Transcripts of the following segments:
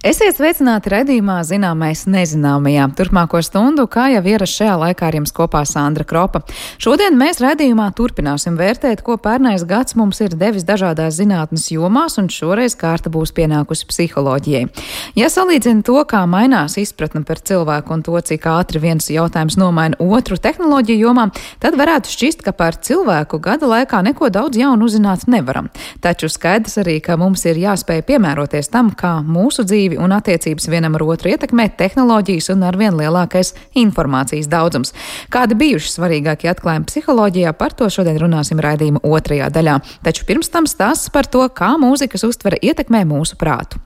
Esiet sveicināti raidījumā Zināmais nezināmajā. Turpmāko stundu, kā jau ierasts šajā laikā, ar jums kopā Sandra Kropa. Šodien mēs raidījumā turpināsim vērtēt, ko pērnais gads mums ir devis dažādās zinātnes jomās, un šoreiz kārta būs pienākusi psiholoģijai. Ja salīdzina to, kā mainās izpratne par cilvēku un to, cik ātri viens jautājums nomaina otru tehnoloģiju jomā, tad varētu šķist, ka par cilvēku gada laikā neko daudz jaunu uzzināt nevaram. Taču skaidrs arī, ka mums ir jāspēj piemēroties tam, kā mūsu dzīvi un attiecības vienam ar otru ietekmē tehnoloģijas un arvien lielākais informācijas daudzums. Kādi bijuši svarīgākie atklājumi psiholoģijā, par to šodien runāsim raidījuma otrajā daļā. Taču pirms tam stāsts par to, kā mūzikas uztvere ietekmē mūsu prātu.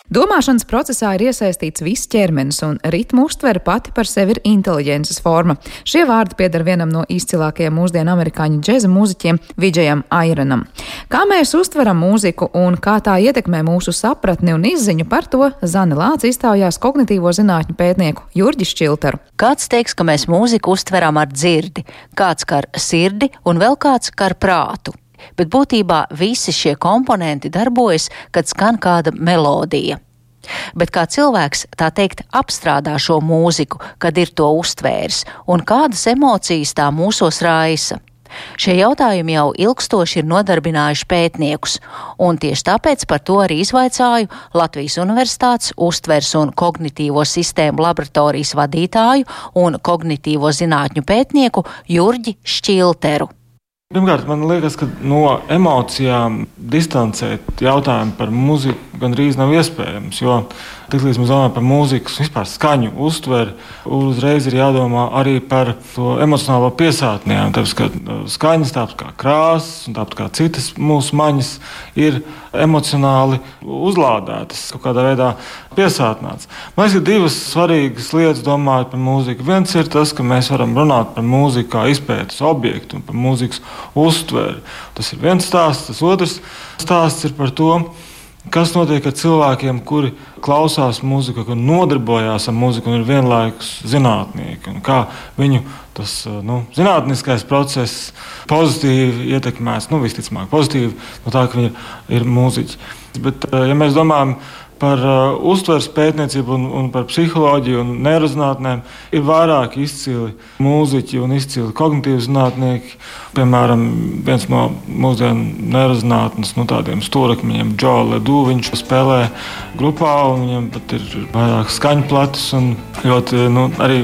Domāšanas procesā ir iesaistīts viss ķermenis, un ritmu uztvere pati par sevi ir inteliģences forma. Šie vārdi pieder vienam no izcilākajiem mūsdienu amerikāņu džeza mūziķiem Vidžejam Aironam. Kā mēs uztveram mūziku un kā tā ietekmē mūsu sapratni un izziņu, par to Zane Lāce iztaujās kognitīvo zinātņu pētnieku Jurģi Šķiltaru. Kāds teiks, ka mēs mūziku uztveram ar dzirdi, kāds kā ar sirdi un vēl kāds kā ar prātu. Bet būtībā visi šie komponenti darbojas, kad skan kāda melodija. Bet kā cilvēks, tā teikt, apstrādā šo mūziku, kad ir to uztvērs, un kādas emocijas tā mūsos raisa? Šie jautājumi jau ilgstoši ir nodarbinājuši pētniekus, un tieši tāpēc par to arī izvaicāju Latvijas Universitātes uztveres un kognitīvo sistēmu laboratorijas vadītāju un kognitīvo zinātņu pētnieku Jurģi Šķilteru. Pirmkārt, man liekas, ka no emocijām distancēt jautājumu par mūziku gandrīz nav iespējams, jo tiklīdz mēs domājam par mūzikas vispār skaņu uztveri, uzreiz ir jādomā arī par to emocionālo piesātnējumu, tāpēc, ka skaņas, tāpat kā krāsas un tāpat kā citas mūsu maņas ir emocionāli uzlādētas, kaut kādā veidā piesātnāts. Man liekas, ka divas svarīgas lietas domājot par mūziku. Viens ir tas, ka mēs varam runāt par mūziku kā izpētes objektu un par mūzikas uztveri. Tas ir viens stāsts. Tas otrs stāsts ir par to, kas notiek ar cilvēkiem, kuri klausās mūziku, kuri nodarbojās ar mūziku un ir vienlaikus zinātnieki, un kā viņu tas zinātniskais process pozitīvi ietekmēs, visticamāk pozitīvi, no tā, ka viņi ir mūziķi. Bet, ja mēs domājam par uztveres pētniecību un par psiholoģiju un neirozinātnēm, ir vairāk izcili mūziķi un izcili kognitīvi zinātnieki. Piemēram, viens no mūsdienu neirozinātnes tādiem stūrakmeņiem, Joe Ledoux, viņš spēlē grupā, un viņam pat ir vairāk skaņu platus un ļoti arī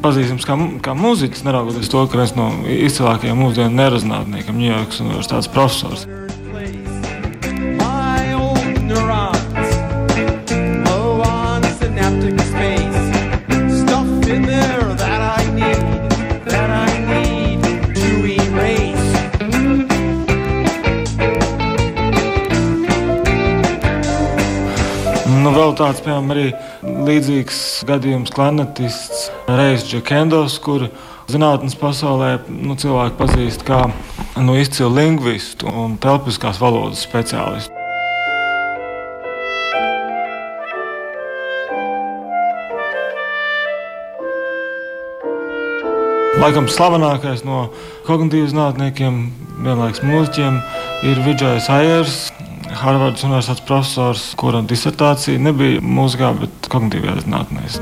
pazīstams kā mūziķis, neraugoties to, ka viens no izcilākajiem mūsdienu neirozinātniekiem, Ņujorkas universitātes profesors. Vēl tāds, piemēram, arī līdzīgs gadījums klarnetists Rejs Džekendos, kuru zinātnes pasaulē cilvēki pazīst kā izcilu lingvistu un telpiskās valodas speciālistu. Laikam slavenākais no kognitīvu zinātniekiem, vienlaikus mūziķiem, ir Vidžejs Aiers, Harvardas universitātes profesors, kura disertācija nebija mūzikā, bet kognitīvajās zinātnēs.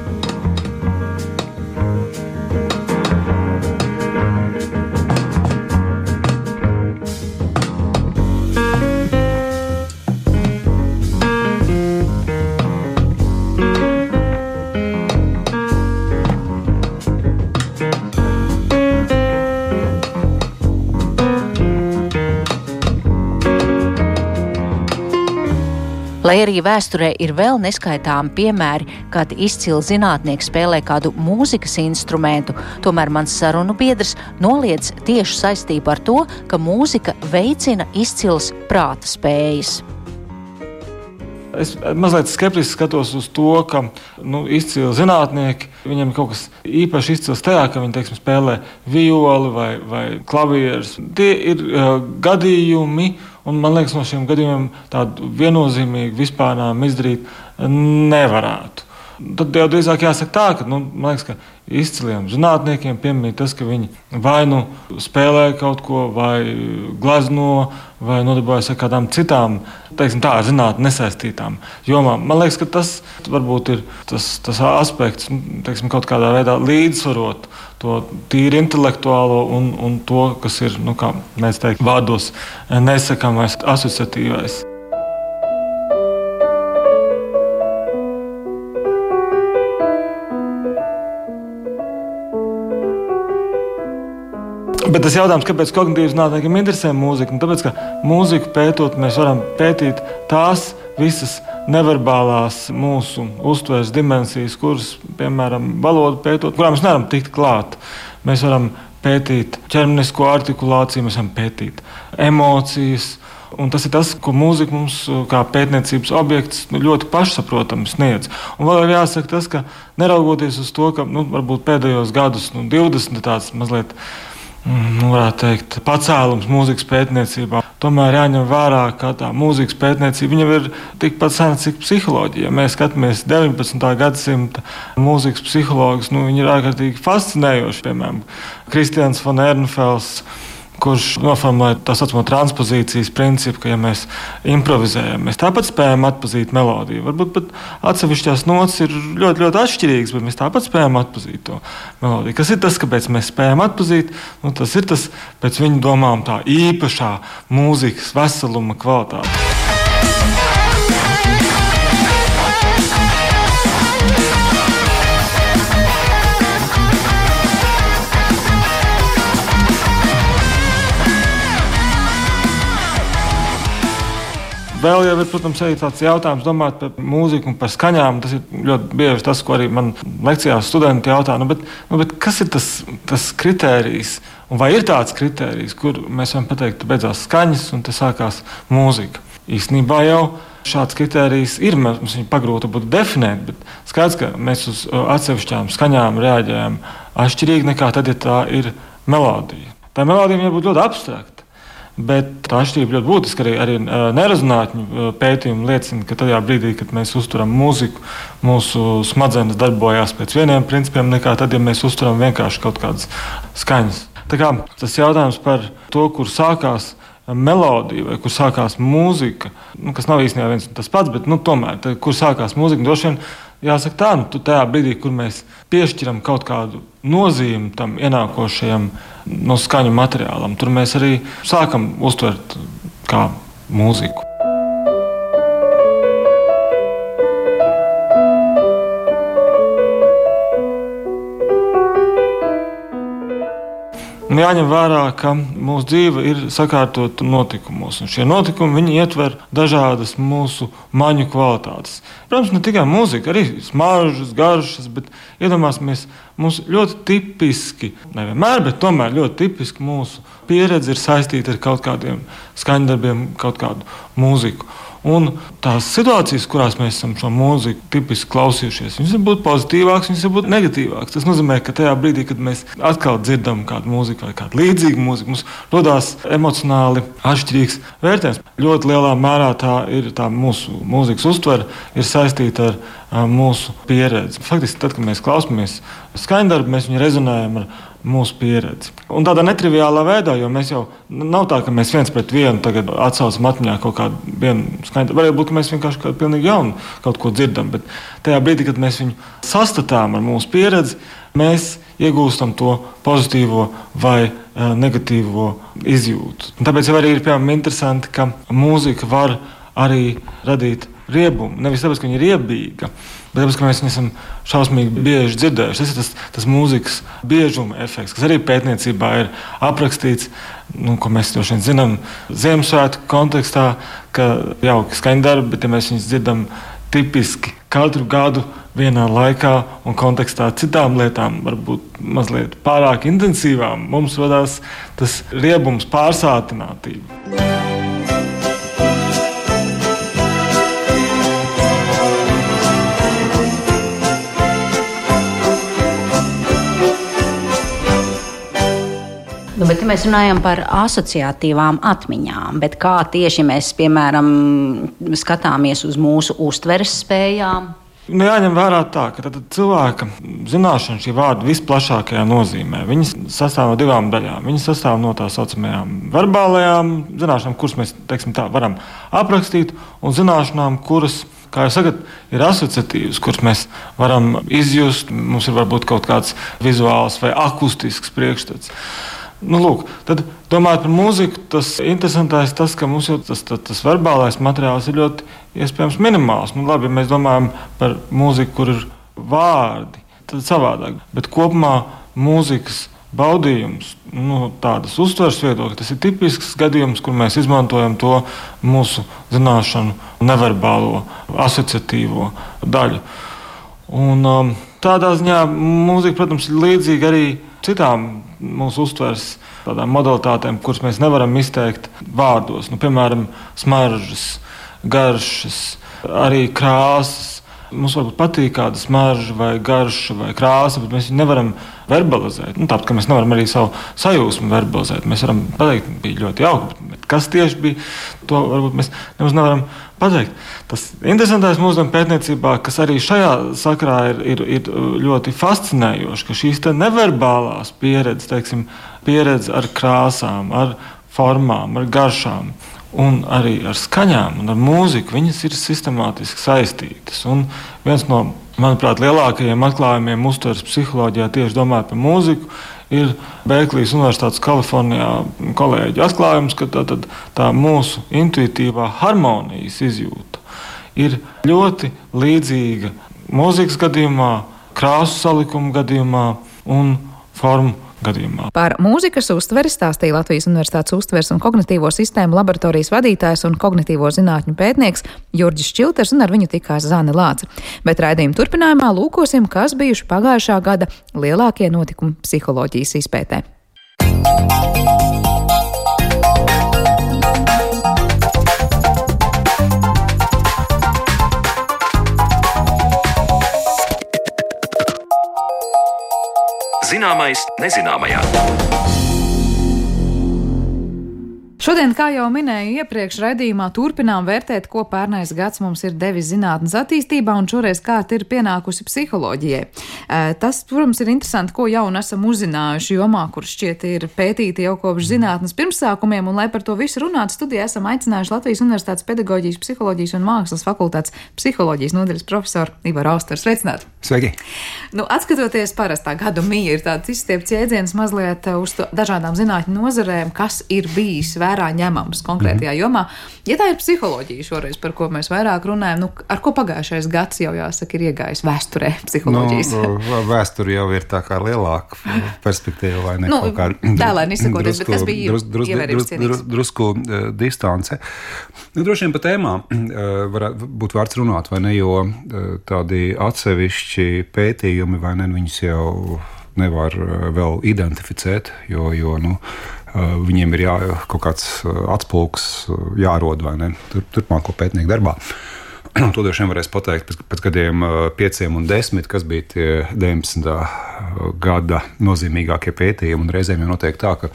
Lai arī vēsturē ir vēl neskaitāmi piemēri, kad izcili zinātnieki spēlē kādu mūzikas instrumentu, tomēr mans sarunu biedrs noliedz tiešu saistību ar to, ka mūzika veicina izcilas prāta spējas. Es mazliet skeptiski skatos uz to, ka izcili zinātnieki, viņiem ir kaut kas īpaši izcils tajā, ka viņi, spēlē violi vai klavierus. Tie ir gadījumi, un man liekas, no šiem gadījumiem tādu viennozīmīgu vispārnām izdarīt nevarētu. Tad jau drīzāk jāsaka tā, ka, man liekas, ka izciliem zinātniekiem piemīt tas, ka viņi vai spēlē kaut ko, vai glezno, vai nodarbojas ar kādām citām, teiksim tā, ar zinātni nesaistītām jomām. Man liekas, ka tas varbūt ir tas aspekts, teiksim, kaut kādā veidā līdzsvarot to tīri intelektuālo un to, kas ir, kā mēs teikt, vārdos nesakāmais, asociatīvais. Bet tas jautājums, kāpēc kognitīvas zinātniekiem interesē mūzika? Tāpēc, ka mūziku pētot, mēs varam pētīt tās visas neverbālās mūsu uztveres dimensijas, kuras, piemēram, valodu pētot, kurām mēs nevaram tikt klāt. Mēs varam pētīt ķermenisko artikulāciju, mēs varam pētīt emocijas. Un tas ir tas, ko mūzika mums kā pētniecības objekts ļoti pašsaprotami sniedz. Un vēl ir jāsaka tas, ka neraugoties uz to, ka varbūt pēdējos gadus 20 tāds mazliet varētu teikt, pacēlums mūzikas pētniecībā. Tomēr jāņem vērā, ka tā mūzikas pētniecība jau ir tikpat sena, cik psiholoģija. Ja mēs skatāmies 19. gadsimta mūzikas psihologus, viņi ir ārkārtīgi fascinējoši. Piemēram, Kristians von Ehrenfels, kurš noformulēja tā saucamo transpozīcijas principu, ka, ja mēs improvizējam, mēs tāpat spējam atpazīt melodiju. Varbūt pat atsevišķās notis ir ļoti, ļoti atšķirīgas, bet mēs tāpat spējam atpazīt to melodiju. Kas ir tas, kāpēc mēs spējam atpazīt? Tas ir tas, pēc viņa domām, tā īpašā mūzikas veseluma kvalitāte. Vēl jau ir, protams, arī tāds jautājums domāt par mūziku un par skaņām. Tas ir ļoti bieži tas, ko arī man lekcijās studenti jautā. Bet kas ir tas kritērijs? Un vai ir tāds kritērijs, kur mēs varam pateikt, ka beidzās skaņas un te sākās mūzika? Īstenībā jau šāds kritērijs ir. Mums viņu pagrūti būtu definēt, bet skaidrs, ka mēs uz atsevišķām skaņām reaģējam atšķirīgi nekā tad, ja tā ir melodija. Tā melodija var būt ļoti abstrakta. Bet tā atšķirība ļoti būtiska arī neirozinātņu pētījumi liecina, ka tajā brīdī, kad mēs uzturam mūziku, mūsu smadzenes darbojās pēc vieniem principiem, nekā tad, ja mēs uzturam vienkārši kaut kādas skaņas. Tā kā tas jautājums par to, kur sākās melodija vai kur sākās mūzika, kas nav īstenībā viens un tas pats, bet tomēr, kur sākās mūzika, droši vien jāsaka tā, tajā brīdī, kur mēs piešķiram kaut kādu nozīmi tam ienākošajam skaņu materiālam, tur mēs arī sākam uztvert kā mūziku. Jāņem vērā, ka mūsu dzīve ir sakārtota notikumos, un šie notikumi ietver dažādas mūsu maņu kvalitātes. Protams, ne tikai mūzika, arī smaržas, garšas, bet iedomāsimies, mums ļoti tipiski, nevienmēr, bet tomēr ļoti tipiski mūsu pieredze ir saistīta ar kaut kādiem skaņdarbiem, kaut kādu mūziku. Un tās situācijas, kurās mēs esam šo mūziku tipiski klausījušies, viņas var būt pozitīvākas, viņas var būt negatīvākas. Tas nozīmē, ka tajā brīdī, kad mēs atkal dzirdam kādu mūziku vai kādu līdzīgu mūziku, mums rodās emocionāli atšķirīgs vērtējums. Ļoti lielā mērā tā mūsu mūzikas uztvere ir saistīta ar mūsu pieredzi. Faktiski, tad, kad mēs klausāmies skaņdarbu, mēs viņu rezonējam ar mūsu pieredzi. Un tādā netriviālā veidā, jo mēs jau nav tā, ka mēs viens pret vienu tagad atsaucam atmiņā kaut kādu vienu skaņdarbu. Varētu būt, ka mēs vienkārši kādu pilnīgi jaunu kaut ko dzirdam, bet tajā brīdī, kad mēs viņu sastatām ar mūsu pieredzi, mēs iegūstam to pozitīvo vai negatīvo izjūtu. Un tāpēc jau arī ir, piemēram, interesanti, ka mūzika var arī radīt riebumu. Nevis tāpēc, ka viņa ir riebīga, bet tāpēc, ka mēs viņu esam šausmīgi bieži dzirdējuši. Tas ir tas mūzikas biežuma efekts, kas arī pētniecībā ir aprakstīts, ko mēs droši vien zinām Ziemassvētku kontekstā, ka jauki skaņdarbi, bet ja mēs viņus dzirdam tipiski katru gadu vienā laikā un kontekstā citām lietām, varbūt mazliet pārāk intensīvām, mums radās tas riebums, pārsātinātība. Bet ja mēs runājam par asociatīvām atmiņām, bet kā tieši mēs, piemēram, skatāmies uz mūsu uztveres spējām, Jāņem vērā tā, ka cilvēka zināšana šī vārda visplašākajā nozīmē. Viņas sastāv no divām daļām. Viņas sastāv no tā saucamajām verbālajām zināšanām, kuras mēs varam aprakstīt, un zināšanām, kuras, kā jau sakat, ir asociatīvas, kuras mēs varam izjust. Mums ir varbūt kaut kāds vizuāls vai akustisks priekšstats. Lūk, tad, domājot par mūziku, tas interesantais tas, ka mums jau tas verbālais materiāls ir ļoti iespējams minimāls. Labi, ja mēs domājam par mūziku, kur ir vārdi, tad savādāk. Bet kopumā mūzikas baudījums, tādas uztveres viedokļa, tas ir tipisks gadījums, kur mēs izmantojam to mūsu zināšanu neverbālo, asociatīvo daļu. Un tādā ziņā mūzika, protams, ir līdzīga arī citām mūsu uztveres tādām modalitātēm, kuras mēs nevaram izteikt vārdos. Piemēram, smaržas, garšas, arī krāsas. Mums varbūt patīk kāda smarža vai garša vai krāsa, bet mēs viņu nevaram verbalizēt. Tāpat, ka mēs nevaram arī savu sajūsmu verbalizēt. Mēs varam pateikt, bija ļoti jauki, bet kas tieši bija, to varbūt mēs nemaz nevaram pateikt. Tas interesantais mūsdienu pētniecībā, kas arī šajā sakrā ir ļoti fascinējoši, ka šīs neverbālās pieredzes, pieredze ar krāsām, ar formām, ar garšām, un arī ar skaņām un ar mūziku, viņas ir sistemātiski saistītas. Un viens no, manuprāt, lielākajiem atklājumiem uztveres psiholoģijā tieši domājot par mūziku ir Berklijas Universitātes Kalifornijā kolēģu atklājums, ka tā mūsu intuitīvā harmonijas izjūta ir ļoti līdzīga mūzikas gadījumā, krāsu salikuma gadījumā un formu gadījumā. Par mūzikas uztveri stāstīja Latvijas Universitātes uztveres un kognitīvo sistēmu laboratorijas vadītājs un kognitīvo zinātņu pētnieks Jurģis Čilters, un ar viņu tikās Zane Lāce. Bet raidījuma turpinājumā lūkosim, kas bijuši pagājušā gada lielākie notikumi psiholoģijas izpētē. Zināmais nezināmajā. Šodien, kā jau minēju iepriekš raidījumā, turpinām vērtēt, ko pērnais gads mums ir devis zinātnes attīstībā, un šoreiz kārta ir pienākusi psiholoģijai. Tas, protams, ir interesanti, ko jaunu esam uzzinājuši jomā, kur šķiet ir pētīti jau kopš zinātnes pirmsākumiem, un lai par to visu runātu, studijā esam aicinājuši Latvijas Universitātes pedagoģijas, psiholoģijas un mākslas fakultātes psiholoģijas nodaļas profesoru Ivaru Austeru. Sveicināti! Sveiki! Atskatoties parastā gadu mija, ir tāds izstiepts jēdziens mazliet uz dažādām zinātņu nozarēm, kas ir bijis vērā ņemams konkrētajā jomā. Ja tā ir psiholoģija šoreiz, par ko mēs vairāk runājam, ar ko pagājušais gads jau jāsaka ir iegājis vēsturē psiholoģijas? Vēsture jau ir tā kā lielāka perspektīva, vai ne? Tēlēni izsakoties, bet kas bija ievērības cienīgs? Drusku distance. Droši vien pa tēmām varētu būt vērts runāt, vai ne, jo tādi atsevišķi pētījumi, vai ne, viņus jau nevar vēl identificēt, jo viņiem ir kaut kāds atspulgs jārod, vai ne, turpmāko pētnieku darbā. To droši vien varēs pateikt pēc gadiem 5 un 10, kas bija tie 19. Gada nozīmīgākie pētījumi, un reizēm jau notiek tā, ka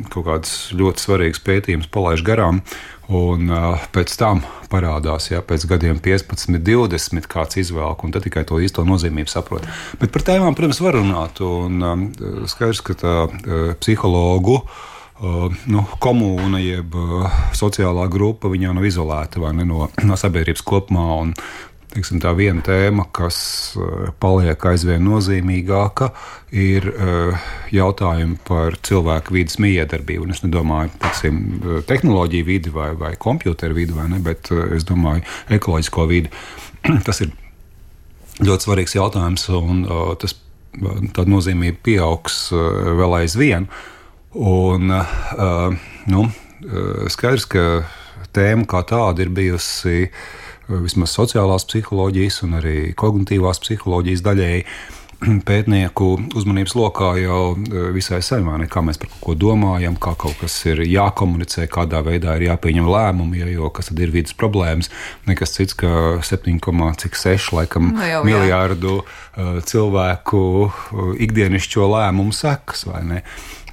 kaut kāds ļoti svarīgs pētījums palaiž garām, un pēc tam parādās, pēc gadiem 15, 20 kāds izvēlk, un tad tikai to īsto nozīmību saprot. Bet par tēmām, protams, var runāt, un skaidrs, ka tā psihologu komūna jeb sociālā grupa, viņa nav izolēta, vai ne, no sabiedrības kopumā, un teiksim, tā viena tēma, kas paliek aizvien nozīmīgāka, ir jautājumi par cilvēku vides mijiedarbību. Un es nedomāju, teiksim, tehnoloģiju vidi vai kompjūteru vidi, vai ne, bet es domāju ekoloģisko vidi. Tas ir ļoti svarīgs jautājums, un tā nozīmība pieaugs vēl aizvien. Un skaidrs, ka tēma kā tāda ir bijusi vismaz sociālās psiholoģijas un arī kognitīvās psiholoģijas daļēji pētnieku uzmanības lokā jau visai sen, kā mēs par kaut ko domājam, kā kaut kas ir jākomunicē, kādā veidā ir jāpieņem lēmumi, jo kas tad ir vidas problēmas, nekas cits, ka 7,6 miljārdu cilvēku ikdienišķo lēmumu sekas, vai ne?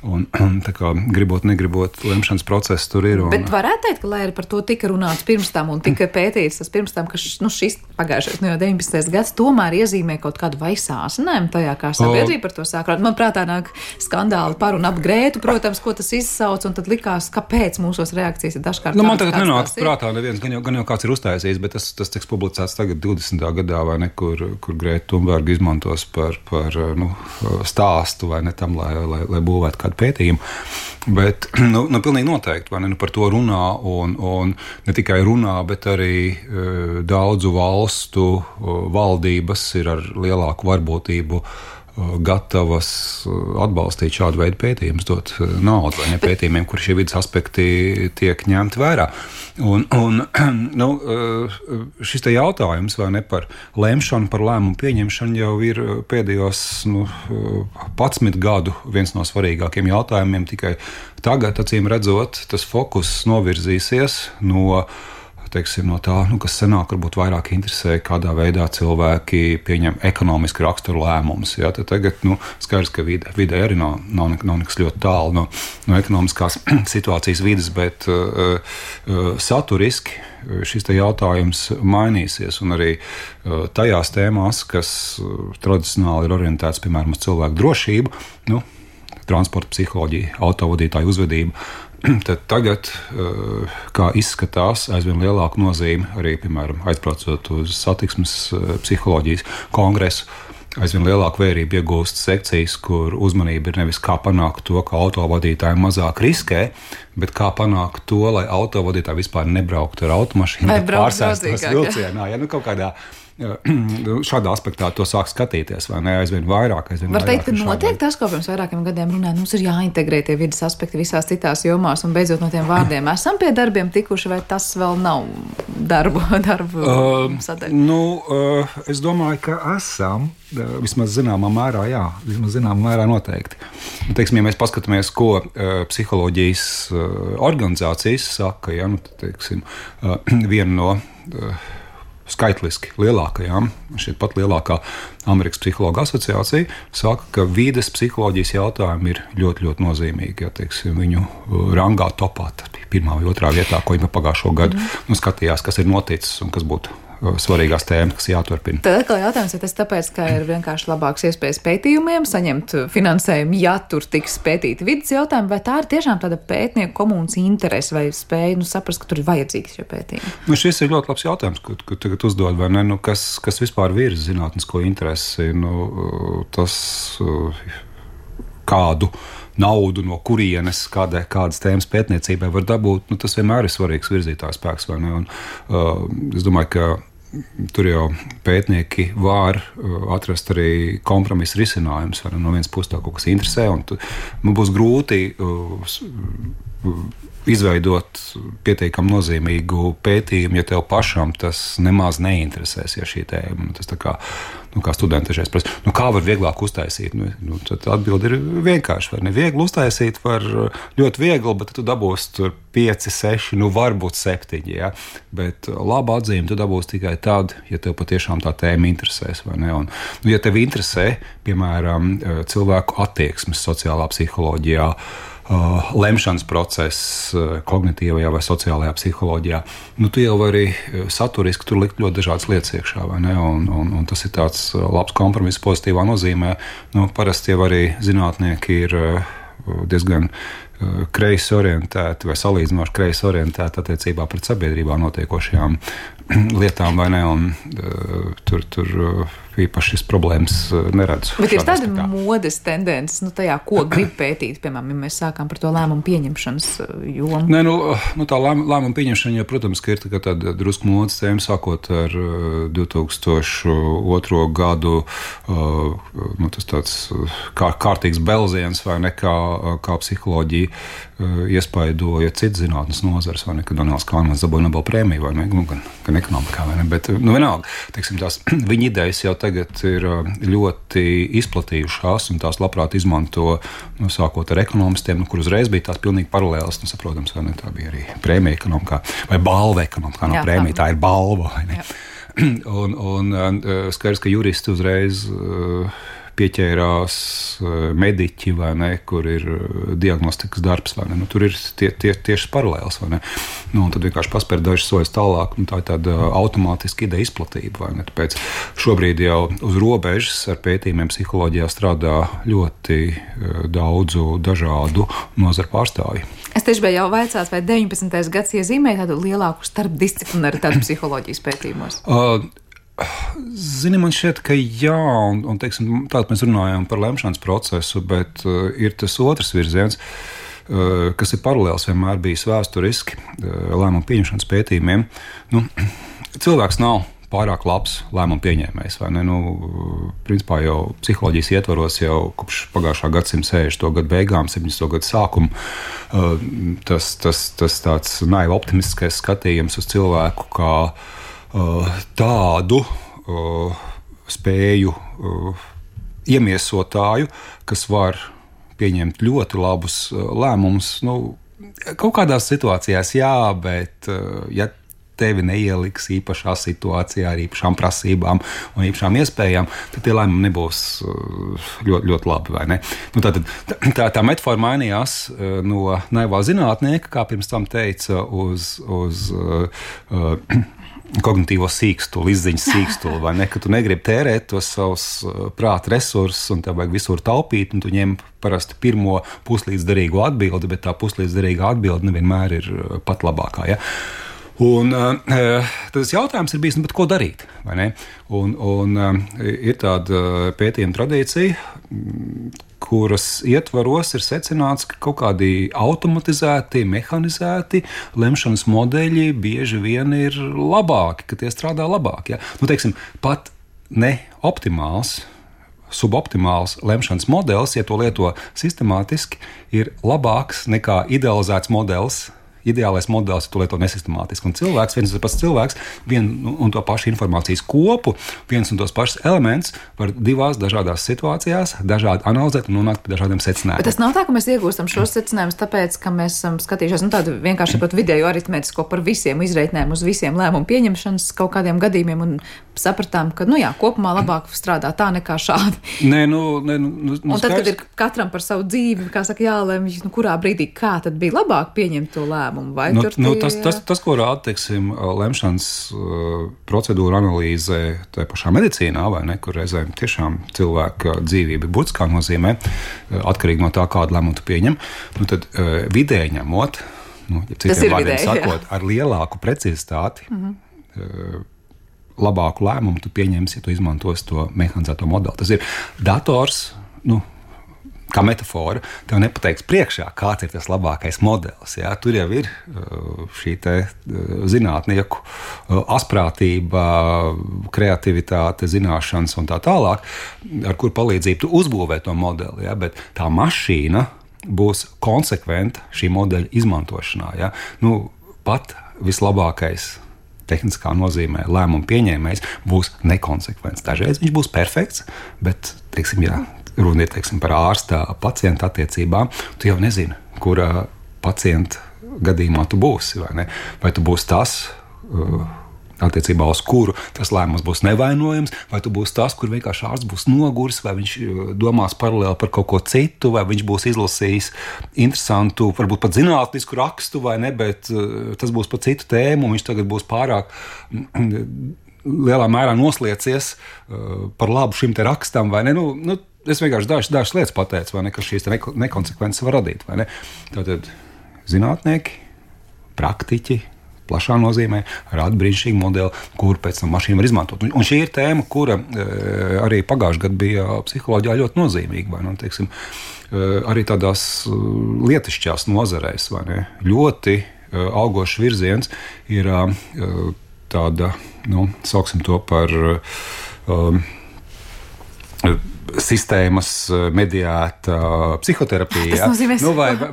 Un tā kā gribot, negribot, lemšanas process tur ir. Bet varētu teikt, ka, lai arī par to tika runāts pirms tam un tika pētīts tas pirms tam, ka šis pagājušais, jau 19. gads, tomēr iezīmē kaut kādu vai sāsinājumu tajā, kā sabiedrība par to sāk. Man prātā nāk skandāli par un ap Grētu, protams, ko tas izsauc, un tad likās, kāpēc mūsos reakcijas ir dažkārt. Man tagad nenāk prātā neviens, gan jau kāds ir uztaisījis, bet tas tiks publicēts tagad 20. gadā, vai ne, kur Grēta Thunberga izmantos par stāstu, vai ne tam, lai būvētu kādu pētījumu. Bet, pilnīgi noteikti, vai ne, par to runā un ne tikai runā, bet arī daudzu valstu valdības ir ar lielāku varbūtību gatavas atbalstīt šādu veidu pētījumus, dot naudu vai ne pētījumiem, kur šie vidas aspekti tiek ņemti vērā. Un šis te jautājums vai ne par lemšanu, par lēmumu pieņemšanu jau ir pēdējos 11 gadu viens no svarīgākiem jautājumiem. Tikai tagad, acīm redzot, tas fokus novirzīsies no tā, kas senāk varbūt vairāk interesē, kādā veidā cilvēki pieņem ekonomiski raksturu lēmumus. Ja? Tagad skaidrs, ka vidē arī nav nekas ļoti tālu no ekonomiskās situācijas vides, bet saturiski šis te jautājums mainīsies, un arī tajās tēmās, kas tradicionāli ir orientēts, piemēram, uz cilvēku drošību, transporta psiholoģiju, autovadītāju uzvedību, tad tagad, kā izskatās, aizvien lielāku nozīmi arī, piemēram, aizbraucot uz satiksmes psiholoģijas kongresu, aizvien lielāku vērību iegūst sekcijas, kur uzmanība ir nevis kā panākt to, ka autovadītāji mazāk riskē, bet kā panākt to, lai autovadītāji vispār nebrauktu ar automašīnu, bet pārsēstos vilcienā. Kaut kādā šādā aspektā to sāk skatīties, vai ne, aizvien vairāk. Var teikt, ka notiek tas, ko pirms vairākiem gadiem runāja, mums ir jāintegrē tie vidas aspekti visās citās jomās, un beidzot no tiem vārdiem esam pie darbiem tikuši, vai tas vēl nav darbu sadaļa? Es domāju, ka esam, vismaz zināmā mērā, jā, noteikti. Teiksim, ja mēs paskatāmies, ko psiholoģijas organizācijas saka, ja, viena no skaitliski lielākajām, šeit pat lielākā Amerikas psihologa asociācija saka, ka vides psiholoģijas jautājumi ir ļoti, ļoti nozīmīgi. Ja, teiksim, viņu rangā topā, tas bija 1. vai 2. vietā, ko viņi pagājušo gadu skatījās, kas ir noticis un kas būtu svarīgās tēmas, kas jāturpina. Tad atkal jautājums, vai tas tāpēc, ka ir vienkārši labāks iespējas pētījumiem, saņemt finansējumu, ja tur tiks pētīti vidas jautājumi, vai tā ir tiešām tāda pētnieku komunas interese vai spēja saprast, ka tur ir vajadzīgs šie pētījumi? Šis ir ļoti labs jautājums, ko tagad uzdod, vai ne? Kas vispār virza zinātnisko interesi? Tas kādu naudu, no kurienes kādas tēmas pētniecībai var dabūt, tas vienmēr ir svarīgs virzītājs spēks, vai ne? Es domāju, ka tur jau pētnieki var atrast arī kompromisu risinājumus, vai ne? No vienas puses tā kaut kas interesē, un man būs grūti izveidot pietiekami nozīmīgu pētījumu, ja tev pašam tas nemaz neinteresēs, ja šī tēma. Tas tā kā studenti dažreiz prasa, kā var vieglāk uztaisīt? Tad atbildi ir vienkārši. Var neviegli uztaisīt, var ļoti viegli, bet tu dabūsi tur 5, 6, varbūt 7. Ja? Bet labu atzīmi tu dabūsi tikai tad, ja tev patiešām tā tēma interesēs. Vai ne? Un, ja tev interesē, piemēram, cilvēku attieksmes sociālā psiholoģijā, lemšanas process kognitīvajā vai sociālajā psiholoģijā, tu jau vari saturiski tur likt ļoti dažādas lietas iekšā, vai ne? Un tas ir tāds labs kompromiss pozitīvā nozīmē. Parasti jau arī zinātnieki ir diezgan kreisi orientēti vai salīdzinoši kreisi orientēti attiecībā pret sabiedrībā notiekošajām lietām, vai ne? Un tur īpaši šis problēmas neredzu. Bet ir tāda modes tendences, tajā, ko grib pētīt, piemēram, ja mēs sākām par to lēmumu pieņemšanas jomu? Nē, tā lēmumu pieņemšana, jau, protams, ka ir tāda drusku modes tēma, sākot ar 2002. Gadu, tas tāds kārtīgs belziens, vai ne, kā psiholoģija iespaidoja citas zinātnes nozares, vai ne, kad Donalds Kahnemans dabūja Nobela prēmiju, vai ne, gan ekonomikā, vai ne, bet, vienalga, teiksim, tās viņa idejas jau tagad ir ļoti izplatījušās, un tās labprāt izmanto, sākot ar ekonomistiem, kur uzreiz bija tās pilnīgi paralēlas, saprotams, vai ne, tā bija arī prēmija ekonomikā, vai balva ekonomikā, nav prēmija, tā ir balva, vai ne. Un skaidrs, ka juristi uzreiz pieķērās mediķi, vai ne, kur ir diagnostikas darbs, vai ne. Tur ir tieši paralēls, vai ne. Un tad vienkārši paspēr dažas soļus tālāk, tā ir tāda automātiska ideja izplatība, vai ne. Tāpēc šobrīd jau uz robežas ar pētījumiem psiholoģijā strādā ļoti daudzu dažādu nozaru pārstāvju. Es tieši biju jau vaicāt, vai 19. gads iezīmē tādu lielāku starpdisciplinaritāti psiholoģijas pētījumos? Zini, man šķiet, ka jā, un teiksim, tātad mēs runājam par lemšanas procesu, bet ir tas otrs virziens, kas ir paralēls vienmēr bijis vēsturiski lēmumu pieņemšanas pētījumiem. Cilvēks nav pārāk labs lēmumu pieņēmējs, vai ne? Principā jau psiholoģijas ietvaros jau kopš pagājušā gadsimta 60. gadu beigām, 70. gadu sākumu, tas tāds naivi optimistiskais skatījums uz cilvēku kā tādu spēju iemiesotāju, kas var pieņemt ļoti labus lēmumus. Kaut kādās situācijās jā, bet ja tevi neieliks īpašā situācijā ar īpašām prasībām un īpašām iespējām, tad tie lēmumi nebūs ļoti, ļoti labi, vai ne? Tā metafora mainījās no naivā zinātnieka, kā pirms tam teica, uz kognitīvo sīkstuli, izziņas sīkstuli, vai ne, ka tu negribi tērēt tos savus prāta resursus un tev vajag visur taupīt, un tu ņem parasti pirmo puslīdzdarīgo atbildi, bet tā puslīdzdarīgā atbildi nevienmēr ir pat labākā, ja? Un tas jautājums ir bijis, bet ko darīt, vai ne? Un ir tāda pētījuma tradīcija, kuras ietvaros ir secināts, ka kaut kādi automatizēti, mehanizēti lemšanas modeļi bieži vien ir labāki, ka tie strādā labāk. Ja? Teiksim, pat ne optimāls, suboptimāls lemšanas modelis, ja to lieto sistemātiski, ir labāks nekā idealizēts modelis. Ideālais modelis, ja tu lieto nesistemātiski. Un cilvēks, viens un tas pats cilvēks, vienu un to pašu informācijas kopu, viens un tos pašus elements var divās dažādās situācijās dažādi analizēt un nonākt pie dažādiem secinājumiem. Bet tas nav tā, ka mēs iegūstam šos secinājumus tāpēc, ka mēs esam skatījušies tādu vienkārši vidēju aritmētisko par visiem izreitnēm uz visiem lēmumu pieņemšanas kaut kādiem gadījumiem un sapratām, ka, kopumā labāk strādā tā nekā šādi. Un tad, kad ir katram par savu dzīvi, kā saka, jālemj, kurā brīdī kā tad bija labāk pieņemt to lēmumu. Tas, ko rāda, teiksim, lemšanas procedūra analīzē tā pašā medicīnā, vai ne, kur reizēm tiešām cilvēka dzīvība būtiskā nozīmē, atkarīgi no tā, kādu lēmumu tu pieņem, tad vidēji ņemot, ja citiem vārdiem sakot, ar lielāku precizitāti, labāku lēmumu tu pieņemsi, ja tu izmantosi to mehanizēto modeli. Tas ir dators, kā metafora, tev nepateiks priekšā, kāds ir tas labākais modelis. Ja? Tur jau ir šī te zinātnieku asprātība, kreativitāte, zināšanas un tā tālāk, ar kur palīdzību tu uzbūvē to modeli. Ja? Bet tā mašīna būs konsekventa šī modeļa izmantošanā. Ja? Pat vislabākais tehniskā nozīmē lēmumu pieņēmējs būs nekonsekvents. Dažreiz viņš būs perfekts, bet, teiksim, runa ir, teiksim, par ārsta pacienta attiecībām, tu jau nezini, kurā pacienta gadījumā tu būsi, vai ne? Vai tu būsi tas, attiecībā uz kuru tas lēmums būs nevainojams, vai tu būsi tas, kur vienkārši ārsts būs noguris, vai viņš domās paralēli par kaut ko citu, vai viņš būs izlasījis interesantu, varbūt pat zinātnisku rakstu, vai ne, bet tas būs par citu tēmu, un viņš tagad būs pārāk lielā mērā nosliecies par labu šim te rakstam, vai ne? Es vienkārši dažas lietas pateicu, vai ne, ka šīs nekonsekvences var radīt, vai ne? Tātad zinātnieki, praktiķi, plašā nozīmē, rada brīnišķīgu modeli, kuru pēc tam mašīna var izmantot. Un šī ir tēma, kura arī pagājušajā gadā bija psiholoģijā ļoti nozīmīga, vai ne, teiksim, arī tādās lietišķās nozarēs, vai ne, ļoti augošs virziens ir tāda, sauksim to par sistēmas mediēta psihoterapija. Tas nozīmē,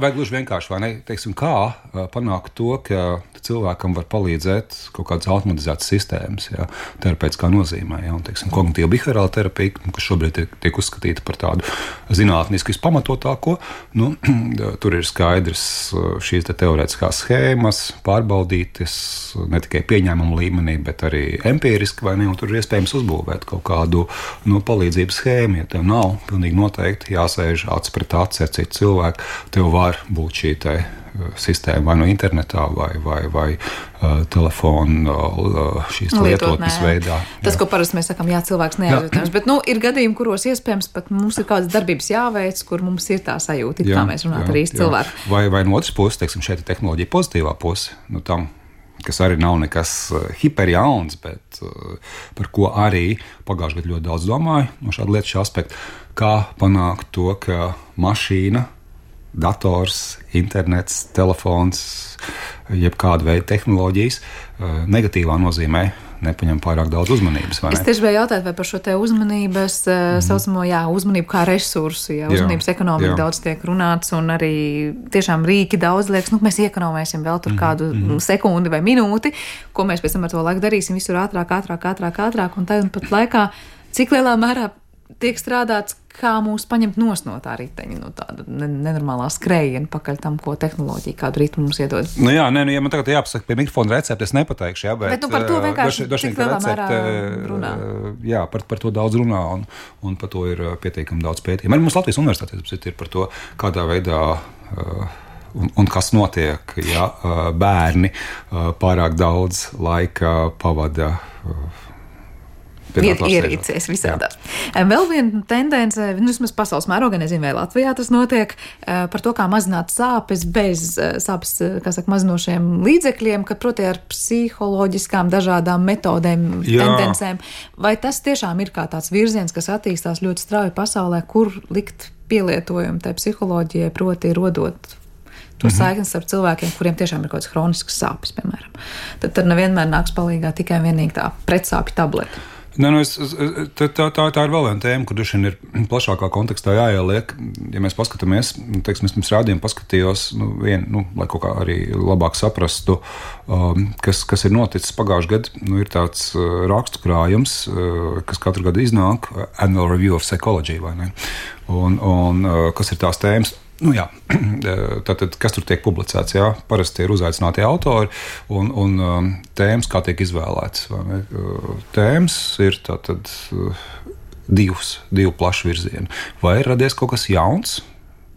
vai gluži vienkārši, vai ne, teiksim, kā panākt to, ka cilvēkam var palīdzēt kaut kādas automatizētas sistēmas, ja, terapeitiskā nozīmē, ja, un, teiksim, kognitīva behaviorāla terapija, kas šobrīd tiek uzskatīta par tādu zinātniski vispamatotāko, tur ir skaidrs šīs teorētiskās schēmas, pārbaudītas ne tikai pieņēmumu līmenī, bet arī empiriski, vai ne, un tur ir iespējams uzbūvēt kaut kādu palīdzības schēmu, ja tev nav pilnīgi noteikti jāsēž acis pret aci ar citu cilvēku, tev var būt šī te sistēma vai no internetā vai telefona šīs lietotnes veidā. Tas, ko parasti mēs sakām, cilvēks neaizjūtams, bet ir gadījumi, kuros iespējams pat mums ir kādas darbības jāveic, kur mums ir tā sajūta, kā mēs runājam ar īstu cilvēku. Vai no otras puses, teiksim, šeit ir tehnoloģija pozitīvā puse, tam, kas arī nav nekas hiperjauns, bet par ko arī pagājušajā gadā ļoti daudz domāju no šāda lietu šī aspekta, kā panākt to, ka mašīna, dators, internets, telefons, jebkāda veida tehnoloģijas negatīvā nozīmē nepaņem pārāk daudz uzmanības. Es tieši vēl jautāju, vai par šo te uzmanības saucamo, uzmanību kā resursu, uzmanības ekonomika daudz tiek runāts un arī tiešām rīki daudz liekas, mēs iekonomēsim vēl tur kādu sekundi vai minūti, ko mēs pēc tam ar to laiku darīsim visur ātrāk, un tad un pat laikā, cik lielā mērā tiek strādāts, kā mūs paņemt no tā riteņa, no tāda nenormālā skrējiena pakaļ tam, ko tehnoloģija, kādu ritmu mums iedod. Ja man tagad jāpasaka pie mikrofona recepti, es nepateikšu, bet par to vienkārši cik lielā mērā runā. Jā, par to daudz runā un par to ir pietiekami daudz pētījumu. Arī mums Latvijas universitātē ir par to, kādā veidā un kas notiek, ja bērni pārāk daudz laika pavada ierīcēs visādās. Vēl viena tendence, vismaz pasaules mērogā, nezinu, vai Latvijā tas notiek, par to, kā mazināt sāpes bez sāpes, mazinošiem līdzekļiem, ka, proti, ar psiholoģiskām dažādām metodēm, tendencēm. Vai tas tiešām ir kā tāds virziens, kas attīstās ļoti strauji pasaulē, kur likt pielietojumu tai psiholoģijai, proti, rodot to saiknes ar cilvēkiem, kuriem tiešām ir kaut kāds hronisks sāpes, piemēram. Tad nevienmēr nāks palīgā tikai vienīgi tā pretsāpju tableta. Tā ir vēl viena tēma, kur droši vien ir plašākā kontekstā jāieliek. Ja mēs paskatāmies, teiksim, es pirms rādījuma paskatījos, lai kaut kā arī labāk saprastu, kas ir noticis pagājušajā gadā, ir tāds rakstu krājums, kas katru gadu iznāk, Annual Review of Psychology, vai ne? Un kas ir tās tēmas? Tātad, kas tur tiek publicēts? Parasti ir uzaicināti autori un tēmas, kā tiek izvēlētas. Tēmas ir tātad divu plašu virzienu. Vai ir radies kaut kas jauns,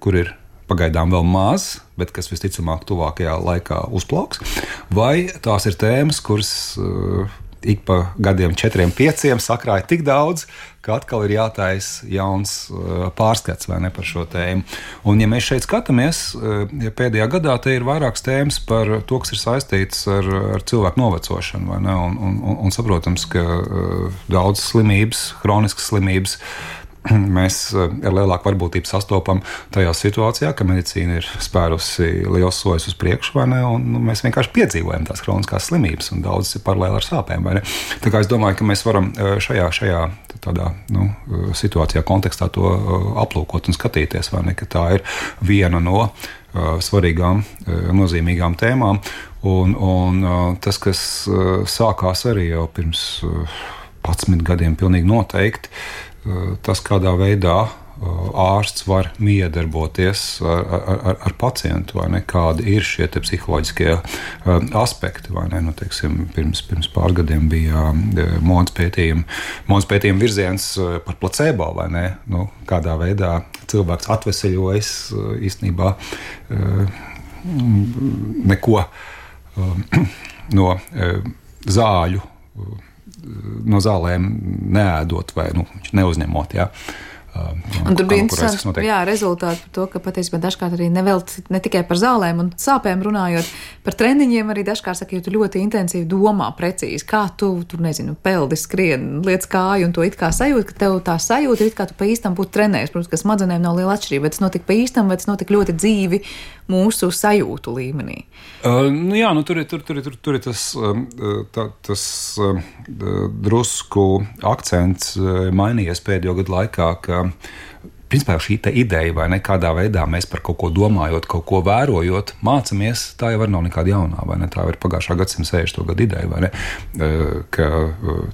kur ir pagaidām vēl maz, bet kas visticamāk tuvākajā laikā uzplauks? Vai tās ir tēmas, kuras ik pa gadiem 4-5 sakrāja tik daudz, ka atkal ir jātaisa jauns pārskats vai ne par šo tēmu. Un ja mēs šeit skatāmies, pēdējā gadā te ir vairākas tēmas par to, kas ir saistīts ar cilvēku novecošanu, vai ne? Un saprotams, ka daudzas slimības, hroniskas slimības, mēs ar lielāku varbūtību sastopam tajā situācijā, ka medicīna ir spērusi liels soļus uz priekšu, vai ne, un mēs vienkārši piedzīvojam tās kroniskās slimības, un daudzas ir paralēli ar sāpēm, vai ne. Tā kā es domāju, ka mēs varam šajā tādā situācijā, kontekstā to aplūkot un skatīties, vai ne, ka tā ir viena no svarīgām, nozīmīgām tēmām, un tas, kas sākās arī jau pirms 11 gadiem pilnīgi noteikti, tas, kādā veidā ārsts var miedarboties ar pacientu, vai ne, kādi ir šie te psiholoģiskie aspekti, vai ne, teiksim, pirms pāris gadiem bija modes pētījuma virziens par placebo, vai ne, kādā veidā cilvēks atveseļojas īstenībā neko no zāļu, no zālēm neēdot vai neuzņemot. Ja? Un tur bija interesanti rezultāti par to, ka patiesībā dažkārt arī ne tikai par zālēm un sāpēm runājot, par treniņiem arī dažkārt saka, ja tu ļoti intensīvi domā precīzi, kā tu peldi, skrien, liec kāju un to it kā sajūt, ka tev tā sajūta ir it kā tu pa īstam būtu trenējis. Protams, ka smadzenēm nav liela atšķirība, bet tas notika pa īstam, vai tas notika ļoti dzīvi mūsu sajūtu līmenī. Tur ir tas drusku akcents mainījies pēdējo gadu laikā, ka principā šī ideja, vai ne, kādā veidā mēs par kaut ko domājot, kaut ko vērojot, mācamies, tā jau nav nekāda jaunā, vai ne, tā ir pagājušā gadsimta 60. gadu ideja, vai ne, ka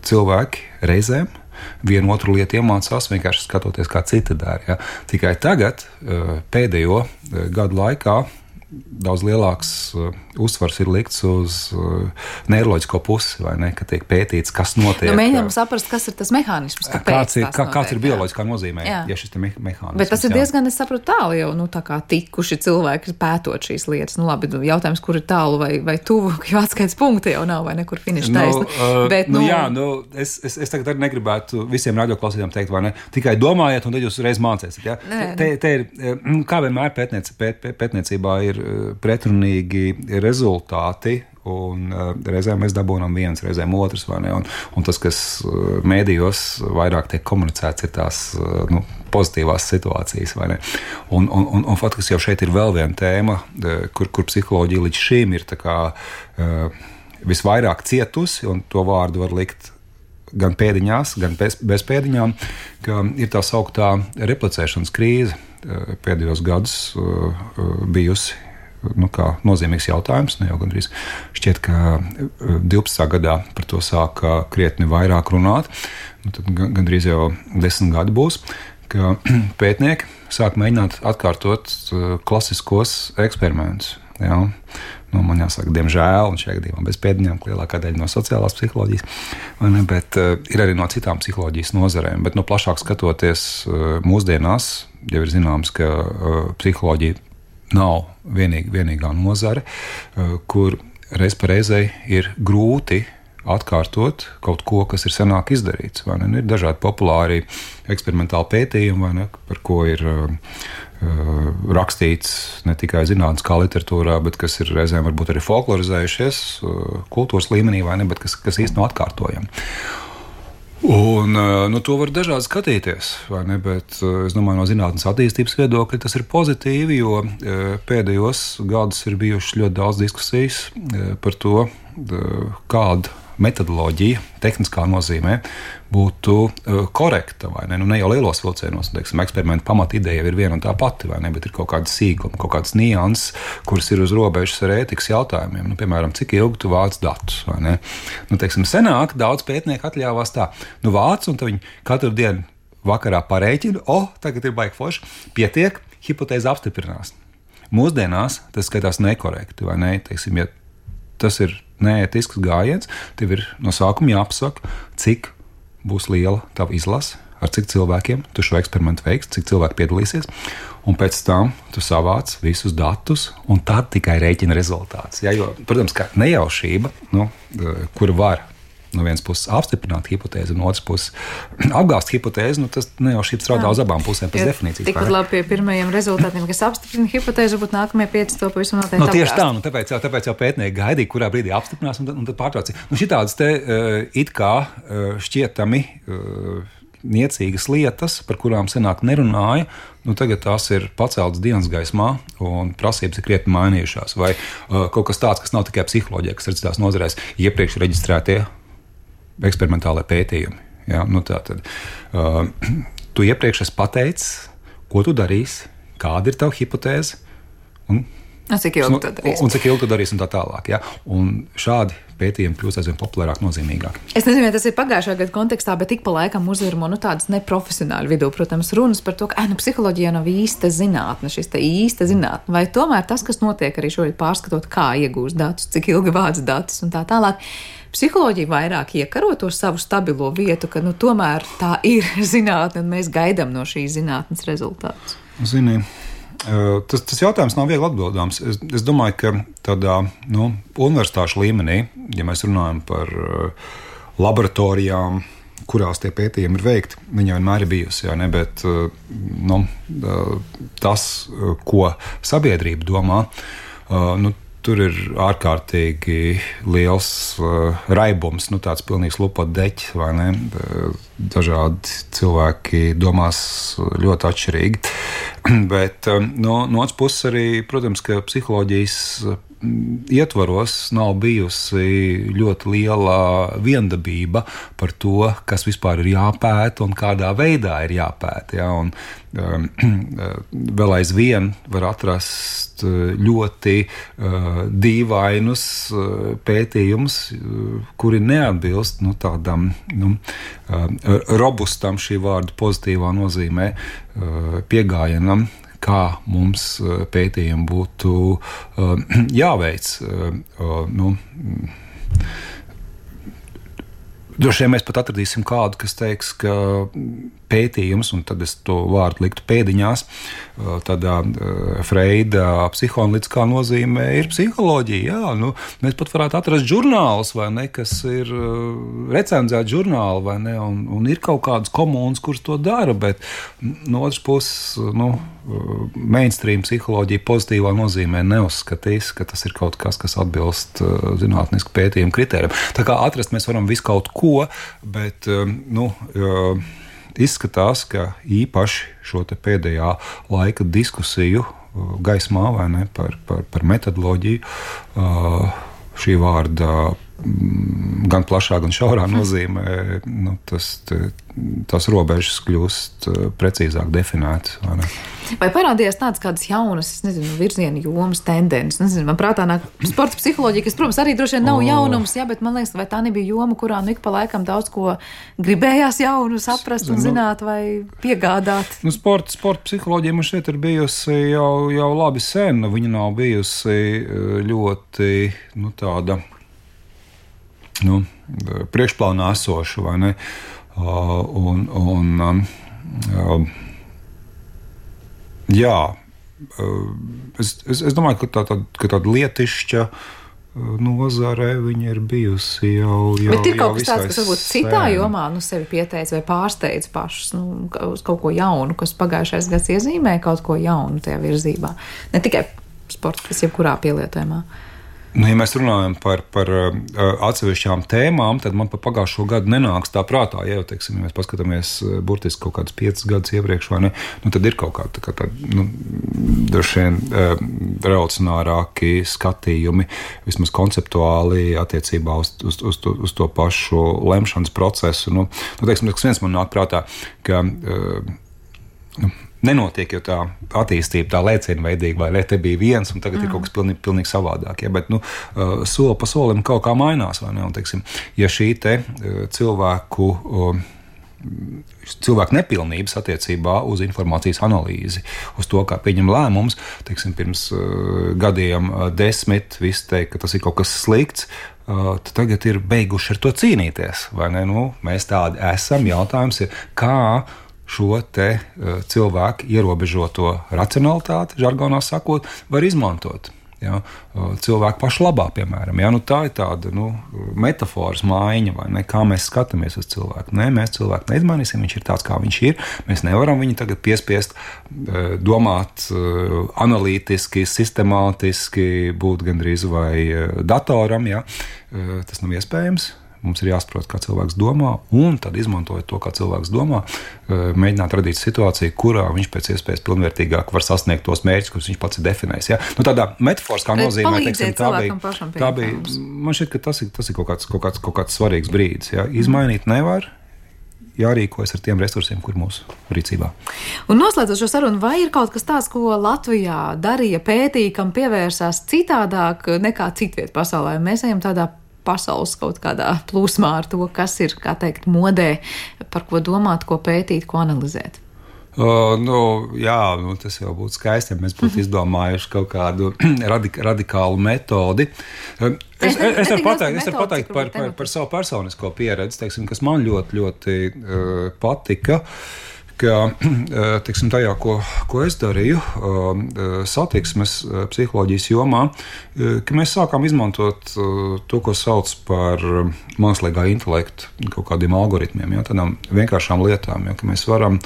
cilvēki reizēm vienu otru lietu iemācās vienkārši skatoties, kā citi dara. Ja. Tikai tagad, pēdējo gadu laikā, daudz lielāks uzsvars ir likts uz neiroloģisko pusi, vai ne, ka tiek pētīts, kas notiek. Mēģinām saprast, kas ir tas mehānisms, kāds ir bioloģiskā nozīmē, ja šis te mehānisms. Bet tas ir diezgan, es saprotu, tālu jau, tā kā tikuši cilvēki pētot šīs lietas. Labi, jautājums, kur ir tālu vai tuvu, jo atskaits punkti jau nav, vai nekur finiša taisna. Bet, es tagad arī negribētu visiem radioklausītājiem teikt, vai ne, tikai domājiet, un tad jūs reiz mācēsiet, ja? Te ir, kā vienmēr pētniecībā ir pretrunīgi rezultāti, un reizēm mēs dabūnam viens, reizēm otrs, vai ne, un tas, kas mēdījos vairāk tiek komunicēts, ir tās pozitīvās situācijas, vai ne, un faktiski jau šeit ir vēl viena tēma, kur psiholoģija līdz šīm ir tā kā visvairāk cietusi, un to vārdu var likt gan pēdiņās, gan bez pēdiņām, ka ir tā sauktā replicēšanas krīze pēdējos gadus bijusi kā nozīmīgs jautājums. Jau gandrīz šķiet, ka 12. gadā par to sāka krietni vairāk runāt. Tad gandrīz jau 10 gadi būs, ka pētnieki sāk mēģināt atkārtot klasiskos eksperimentus. Jā. Man jāsaka, diemžēl, un šajā gadījumā bez pēdiņām, lielākā daļa no sociālās psiholoģijas, bet ir arī no citām psiholoģijas nozarēm. Bet plašāk skatoties mūsdienās, jau ir zināms, ka psiholoģija nav vienīgā nozare, kur reiz pa reizei ir grūti atkārtot kaut ko, kas ir senāk izdarīts. Ir dažādi populāri eksperimentāli pētījumi, par ko ir rakstīts ne tikai zinātniskā literatūrā, bet kas ir reizēm varbūt arī folklorizējušies kultūras līmenī, bet kas īsti nav atkārtojami. Un, to var dažādi skatīties, bet es domāju, no zinātnes attīstības viedokļa tas ir pozitīvi, jo pēdējos gadus ir bijušas ļoti daudz diskusijas par to, kāda metodoloģija, tehniskā nozīmē, būtu korekta, vai ne? Ne jau lielos vilcienos, eksperimentu pamatideja ir viena un tā pati, vai ne? Bet ir kaut kādas sīkumi, kaut kādas nianses, kuras ir uz robežas ar ētikas jautājumiem. Piemēram, cik ilgi tu vāc datus, vai ne? Senāk daudz pētnieku atļāvās tā, vāc, un viņi katru dienu vakarā parēķina, tagad ir baigi forši, pietiek, hipotēze apstiprinās. Mūsdienās tas skatās nekorekti, vai ne? Ja tas ir neētisks gājiens, tev ir no sākuma jāapsaka, cik būs liela tava izlase, ar cik cilvēkiem tu šo eksperimentu veiks, cik cilvēki piedalīsies, un pēc tam tu savāc visus datus, un tad tikai rēķina rezultātus. Ja, jo, protams, ka nejaušība, kura var no vienas puses apstiprināt hipotēzi, no otras puses apgāst hipotēzi, tas nejaušība strādā uz abām pusēm pēc definīcijas. Tikpat labi pie pirmajiem rezultātiem, kas apstiprina hipotēzi, varbūt nākamie 5 to pavisam noteikti apgāst. Tieši tā, tāpēc jau pētnieki gaidīja, kurā brīdī apstiprinās, un tad pārtraucīja. Šitādas te it kā šķietami niecīgas lietas, par kurām senāk nerunāja, tagad tās ir paceltas dienas gaismā, un prasības ir krietni mainījušās. Vai kaut kas tāds, kas nav tikai psiholoģija, kas ir citās nozarēs, iepriekš reģistrētie eksperimentālai pētījumi. Ja? Tātad, tu iepriekš esi pateicis, ko tu darīsi, kāda ir tava hipotēze, un cik ilgi tu darīsi, un tā tālāk. Ja? Un šādi pētījumi kļūst aizvien populārāk, nozīmīgāk. Es nezinu, vai tas ir pagājušā gada kontekstā, bet ik pa laikam uzvirmo tādas neprofesionāļu vidū, protams, runas par to, ka psiholoģija nav īsta zinātne, šis te īsta zinātne, vai tomēr tas, kas notiek arī šobrīd pārskatot, kā iegūst datus, cik ilgi vāc datus un tā tālāk, psiholoģija vairāk iekaro to savu stabilo vietu, ka tomēr tā ir zinātne un mēs gaidām no šīs zinātnes rezultātus. Zini, tas jautājums nav viegli atbildāms. Es domāju, ka tādā universitāšu līmenī, ja mēs runājam par laboratorijām, kurās tie pētījumi ir veikti, viņa vienmēr ir bijusi, bet tas, ko sabiedrība domā, tur ir ārkārtīgi liels raibums, tāds pilnīgs lupotdeķis, vai ne? Dažādi cilvēki domās ļoti atšķirīgi. Bet no otras puses arī, protams, ka psiholoģijas ietvaros nav bijusi ļoti liela viendabība par to, kas vispār ir jāpēta un kādā veidā ir jāpēta. Ja? Un, vēl aizvien var atrast ļoti dīvainus pētījumus, kuri neatbilst tādam robustam, šī vārda pozitīvā nozīmē, pieejamam, kā mums pētījumi būtu jāveic. Droši vien mēs pat atradīsim kādu, kas teiks, ka pētījums, un tad es to vārdu liktu pēdiņās, tādā Freida psihoanalītiskā nozīmē ir psiholoģija. Jā, mēs pat varētu atrast žurnālus, vai ne, kas ir recenzēti žurnāli, vai ne, un ir kaut kādas komunas, kuras to dara, bet no otras puses, mainstream psiholoģija pozitīvā nozīmē neuzskatīs, ka tas ir kaut kas, kas atbilst zinātnisku pētījumu kritērijiem. Tā kā atrast mēs varam visu kaut ko, bet, izskatās, ka īpaši šo te pēdējā laika diskusiju gaismā, vai ne, par metodoloģiju, šī vārda gan plašā, gan šaurā nozīmē, tās robežas kļūst precīzāk definētas. Vai parādījās tādas kādas jaunas, virziena jomas, tendences? Man prātā nāk sporta psiholoģija, kas, protams, arī droši vien nav jaunums, bet man liekas, vai tā nebija joma, kurā ik pa laikam daudz ko gribējās jaunu saprast un zināt vai piegādāt? Sporta psiholoģija man šeit ir bijusi jau labi sen. Viņa nav bijusi ļoti, tāda, priekšplānā esoša, vai ne? Jā, es domāju, ka tāda lietišķa nozare viņa ir bijusi jau bet ir kaut kas tāds, kas varbūt citā sen. jomā sevi pieteica vai pārsteidz pašus uz kaut ko jaunu, kas pagājušais gads iezīmē kaut ko jaunu tajā virzībā. Ne tikai sports, kas jebkurā pielietojumā. Ja mēs runājam par atsevišķām tēmām, tad man pa pagājušo gadu nenāks tā prātā. Ja mēs paskatāmies burtiski kaut kādus 5 gadus iepriekš, vai ne, tad ir kaut kāda droši vien revolucionārāki skatījumi, vismaz konceptuāli attiecībā uz to pašu lemšanas procesu. Teiksim, kas viens man nāk prātā, ka nenotiek jau tā attīstība, tā lēcienveidīga, vai te bija viens, un tagad ir kaut kas pilnīgi savādāk. Ja? Bet soli pa solim kaut kā mainās. Vai ne? Un, teiksim, ja šī te cilvēku nepilnības attiecībā uz informācijas analīzi, uz to, kā pieņem lēmumus, teiksim, pirms gadiem 10 visi teikt, ka tas ir kaut kas slikts, tad tagad ir beiguši ar to cīnīties. Vai ne? Mēs tādi esam. Jautājums ir, kā šo te cilvēku ierobežoto racionalitāti, žargonā sakot, var izmantot. Ja? Cilvēku pašu labā, piemēram. Ja? Tā ir tāda metafāras maiņa, vai ne? Kā mēs skatāmies uz cilvēku. Nē, mēs cilvēku neizmainīsim, viņš ir tāds, kā viņš ir. Mēs nevaram viņu tagad piespiest domāt analītiski, sistemātiski, būt gandrīz vai datoram. Ja? Tas nav iespējams. Mums ir jāsaprot, kā cilvēks domā, un tad, izmantojot to, kā cilvēks domā, mēģināt radīt situāciju, kurā viņš pēc iespējas pilnvērtīgāk var sasniegt tos mērķus, kurus viņš pats ir definējis. Ja? Tādā metaforiskā nozīmē, teiksim, tā bija. Man šķiet, ka tas ir kaut kāds svarīgs brīdis. Ja? Izmainīt nevar. Jārīkojas ar tiem resursiem, kur mūsu rīcībā. Un noslēdzot šo sarunu, vai ir kaut kas tāds, ko Latvijā darīja, pētīja, kam pievērsās citādāk nekā citviet pasaulē? Mēs ejam tādā pasaules kaut kādā plūsmā ar to, kas ir, kā teikt, modē, par ko domāt, ko pētīt, ko analizēt. Tas jau būtu skaisti, ja mēs būtu izdomājuši kaut kādu radikālu metodi. Es varu pateikt par savu personisko pieredzi, teiksim, kas man ļoti, ļoti patika, ka, teiksim, tajā, ko es darīju satiksmes psiholoģijas jomā, ka mēs sākām izmantot to, ko sauc par mākslīgā intelekta kaut kādiem algoritmiem, ja, tādām vienkāršām lietām, ja, ka mēs varam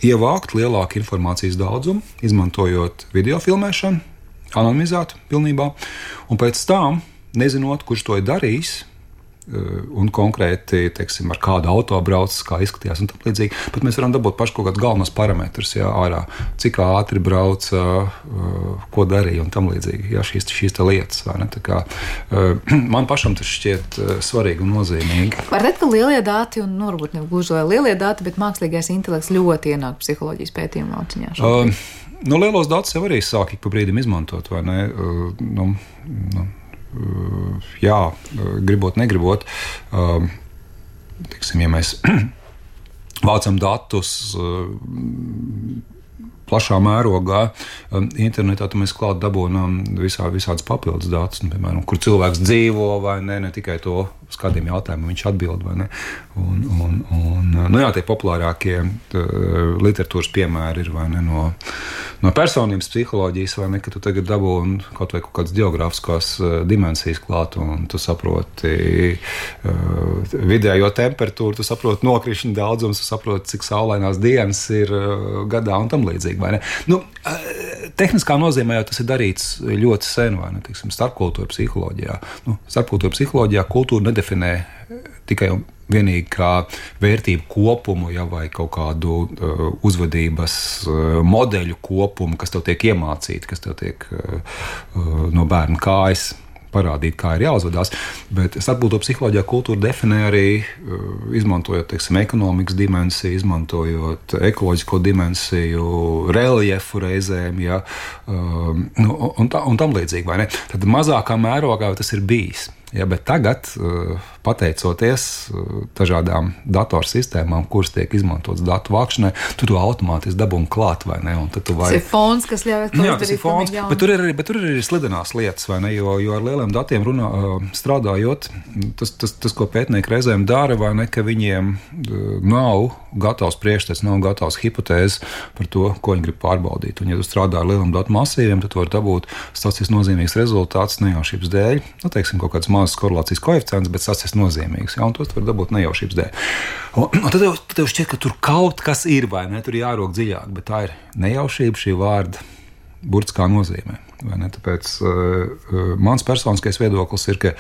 ievākt lielāku informācijas daudzumu, izmantojot video filmēšanu, anonimizētu pilnībā, un pēc tam, nezinot, kurš to ir darījis, un konkrēti, teiksim, ar kādu auto braucis, kā izskatījās un tam līdzīgi, bet mēs varam dabūt paši kaut kādus galvenos parametrus, jā, ārā, cik ātri brauca, ko darīja un tam līdzīgi, jā, šīs te lietas, vai ne, tā kā man pašam tas šķiet svarīgi un nozīmīgi. Var teikt, ka lielie dati, un varbūt ne gluži lielie dati, bet mākslīgais intelekts ļoti ienāk psiholoģijas pētījumu lauciņā šobrīd. Lielos datus jau arī sāk ik pa brīdim izmantot, vai ne, jā, gribot, negribot, teiksim, ja mēs vācam datus plašā mērogā. Internetā mēs klāt dabūnām visādas papildus datus, piemēram, kur cilvēks dzīvo vai ne tikai to uz kādiem jautājumiem viņš atbild vai ne. Tie populārākie literatūras piemēri ir vai ne no personības psiholoģijas vai ne, ka tu tagad dabūni kaut kādas geogrāfiskās dimensijas klāt un tu saproti vidējo temperatūru, tu saproti nokrišņu daudzums, tu saproti, cik saulainās dienas ir gadā un tam līdzīgi, vai ne? Tehniskā nozīmē jau tas ir darīts ļoti sen, vai ne, teiksim, starpkultūra psiholoģijā. Starpkultūra psiholoģijā kultūra nedefinē tikai un vienīgi kā vērtību kopumu, vai kaut kādu uzvedības modeļu kopumu, kas tev tiek iemācīti, kas tev tiek no bērna kājas parādīt, kā ir jāuzvedās, bet starpkultūra psiholoģijā kultūra definē arī izmantojot, teiksim, ekonomikas dimensiju, izmantojot ekoloģisko dimensiju, reljefu reizēm, un tam līdzīgi, vai ne? Tad mazākā mērogā tas ir bijis. Bet tagad, pateicoties dažādām datorsistēmām, kuras tiek izmantotas datu vākšanai, tu to automātiski dabūni klāt, vai ne? Tas ir fons, kas ļauj to izdarīt. Tas ir fons, bet tur ir arī slidenās lietas, vai ne? Jo ar lieliem datiem strādājot, tas, ko pētnieki reizēm dara, vai ne, ka viņiem nav gatavs priekšstats, nav gatavs hipotēzes par to, ko viņi grib pārbaudīt. Un, ja tu strādā ar lieliem datu masīviem, tad tu vari dabūt statistiski nozīmīgs rezultāts nejaušības dēļ. Teiksim, kaut kāds mazs korelācijas koeficients, bet statistiski nozīmīgs. Un tos var dabūt nejaušības dēļ. Un tad tev šķiet, ka tur kaut kas ir, vai ne? Tur jārok dziļāk, bet tā ir nejaušība šī vārda burtiskā nozīmē. Vai ne? Tāpēc mans personiskais viedoklis ir, ka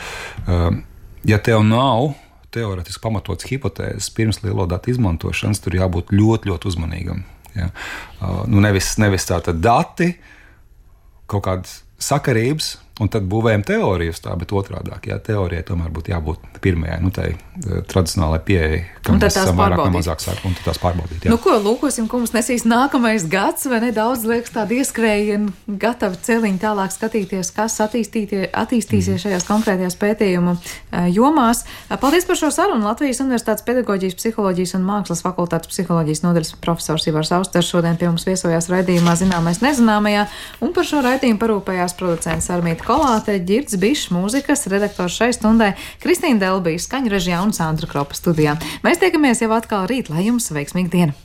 ja tev nav teorētiski pamatots hipotēzes pirms lielo datu izmantošanas, tur jābūt ļoti, ļoti uzmanīgam. Ja? Nevis tātad dati, kaut kādas sakarības, un tad būvējam teoriju uz tā, bet otrādāk. Teorijai tomēr būtu jābūt pirmajai, tai tradicionālai pieejai, kam mēs esam vairāk vai mazāk sāku, un tad tās pārbaudīt. Ko lūkosim, ko mums nesīs nākamais gads, vai nedaudz liekas tādi ieskrējieni, gatavi celiņi tālāk skatīties, kas attīstīsies šajās konkrētajās pētījumu jomās. Paldies par šo sarunu. Latvijas Universitātes pedagoģijas, psiholoģijas un mākslas fakultātes psiholoģijas nodaļas profesors Ivars Austers šodien pie mums viesojās raidījumā Zināmais nezināmajā, un par šo raidījumu parūpējās producents Armīta Kolāte, Ģirds Bišs, mūzikas redaktors šai stundai, Kristīna Delbija, skaņu režijā un Sandra Kropa studijā. Mēs tiekamies jau atkal rīt, lai jums veiksmīga diena!